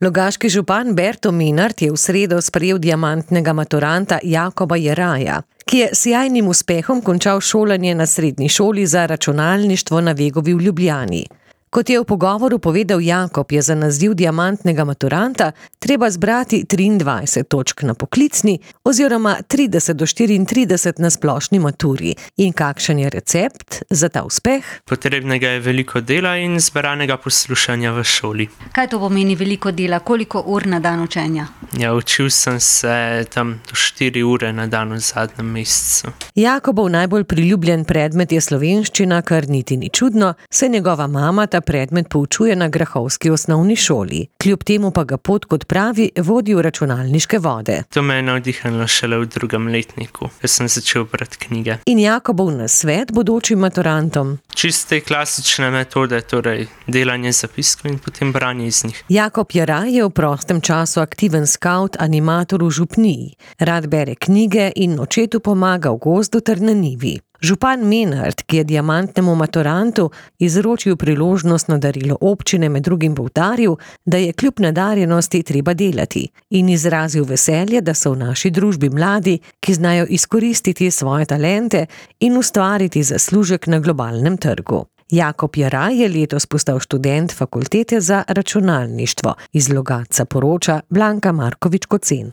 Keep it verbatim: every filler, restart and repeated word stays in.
Logaški župan Berto Menart je v sredo sprejel diamantnega maturanta Jakoba Jeraja, ki je s sijajnim uspehom končal šolanje na srednji šoli za računalništvo na Vegovi v Ljubljani. Kot je v pogovoru povedal Jakob, je za naziv diamantnega maturanta treba zbrati triindvajset točk na poklicni oziroma trideset do štiriintrideset na splošni maturi. In kakšen je recept za ta uspeh? Potrebnega je veliko dela in zberanega poslušanja v šoli. Kaj to pomeni veliko dela? Koliko ur na dan učenja? Ja, učil sem se tam do štiri ure na dan v zadnjem mesecu. Jakobov najbolj priljubljen predmet je slovenščina, kar niti ni čudno, saj njegova mama ta predmet poučuje na grahovski osnovni šoli. Kljub temu pa ga pot, kot pravi, vodi v računalniške vode. To me je navdihnilo šele v drugem letniku, ko sem začel brati knjige. In Jakobov nasvet bodočim maturantom? Čiste klasične metode, torej delanje zapiskov in potem branje iz njih. Jakob Jeraj je v prostem času aktiven skavt animator v župniji. Rad bere knjige in očetu pomaga v gozdu ter na njivi. Župan Menart, ki je diamantnemu maturantu izročil priložnostno darilo občine, med drugim poudaril, da je kljub nadarjenosti treba delati, in izrazil veselje, da so v naši družbi mladi, ki znajo izkoristiti svoje talente in ustvariti zaslužek na globalnem trgu. Jakob Jeraj je letos postal študent fakultete za računalništvo. Iz Logatca poroča Blanka Markovič Kocen.